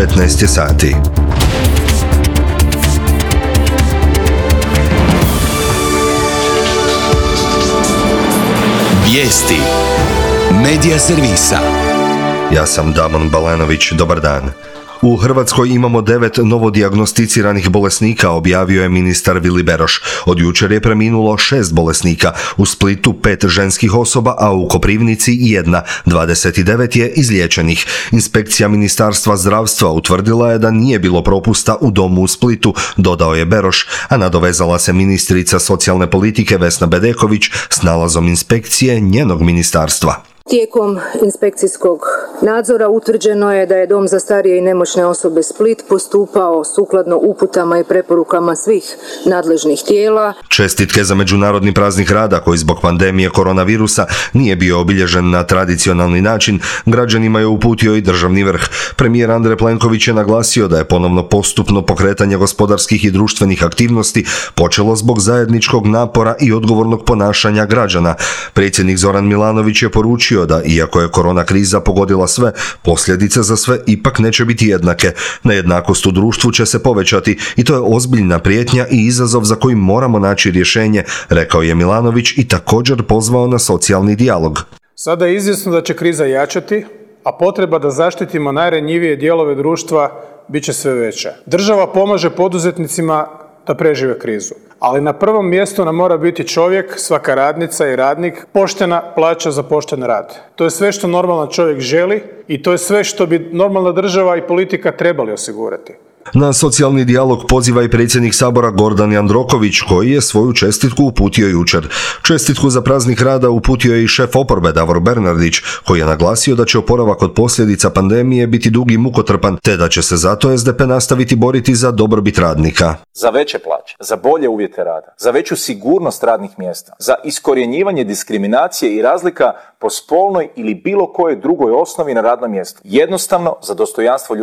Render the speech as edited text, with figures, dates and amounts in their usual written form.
15 sati. Vijesti Medija servisa. Ja sam Damon Balanović, dobar dan. U Hrvatskoj imamo 9 novodijagnosticiranih bolesnika, objavio je ministar Vili Beroš. Od jučer je preminulo 6 bolesnika, u Splitu 5 ženskih osoba, a u Koprivnici 1, 29 je izliječenih. Inspekcija Ministarstva zdravstva utvrdila je da nije bilo propusta u domu u Splitu, dodao je Beroš, a nadovezala se ministrica socijalne politike Vesna Bedeković s nalazom inspekcije njenog ministarstva. Tijekom inspekcijskog nadzora utvrđeno je da je Dom za starije i nemoćne osobe Split postupao sukladno uputama i preporukama svih nadležnih tijela. Čestitke za Međunarodni praznik rada, koji zbog pandemije koronavirusa nije bio obilježen na tradicionalni način, građanima je uputio i državni vrh. Premijer Andrej Plenković je naglasio da je ponovno postupno pokretanje gospodarskih i društvenih aktivnosti počelo zbog zajedničkog napora i odgovornog ponašanja građana. Predsjednik Zoran Milanović je poručio da, iako je korona kriza pogodila sve, posljedice za sve ipak neće biti jednake. Nejednakost u društvu će se povećati i to je ozbiljna prijetnja i izazov za koji moramo naći rješenje, rekao je Milanović i također pozvao na socijalni dijalog. Sada je izvjesno da će kriza jačati, a potreba da zaštitimo najranjivije dijelove društva bit će sve veća. Država pomaže poduzetnicima da prežive krizu. Ali na prvom mjestu nam mora biti čovjek, svaka radnica i radnik, poštena plaća za pošten rad. To je sve što normalan čovjek želi i to je sve što bi normalna država i politika trebali osigurati. Na socijalni dijalog poziva i predsjednik Sabora Gordan Jandroković, koji je svoju čestitku uputio jučer. Čestitku za praznik rada uputio je i šef oporbe Davor Bernardić, koji je naglasio da će oporavak od posljedica pandemije biti dug i mukotrpan, te da će se zato SDP nastaviti boriti za dobrobit radnika. Za veće plaće, za bolje uvjete rada, za veću sigurnost radnih mjesta, za iskorjenjivanje diskriminacije i razlika po spolnoj ili bilo kojoj drugoj osnovi na radnom mjestu. Jednostavno za dostojanstvo ljudi.